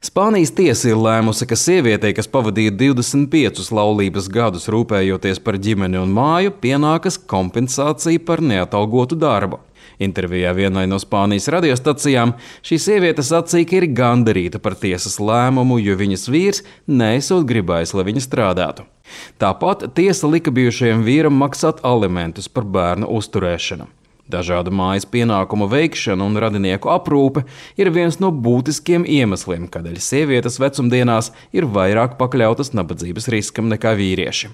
Spānijas tiesa ir lēmusi, ka sievietei, kas pavadīja 25 laulības gadus rūpējoties par ģimeni un māju, pienākas kompensācija par neatalgotu darbu. Intervijā vienai no Spānijas radiostacijām šī sieviete sacīja, ka ir gandarīta par tiesas lēmumu, jo viņas vīrs neesot gribējis, lai viņa strādātu. Tāpat tiesa lika bijušajam vīram maksāt alimentus par bērnu uzturēšanu. Dažādu mājas pienākumu veikšana un radinieku aprūpe ir viens no būtiskiem iemesliem, kādēļ sievietes vecumdienās ir vairāk pakļautas nabadzības riskam nekā vīrieši.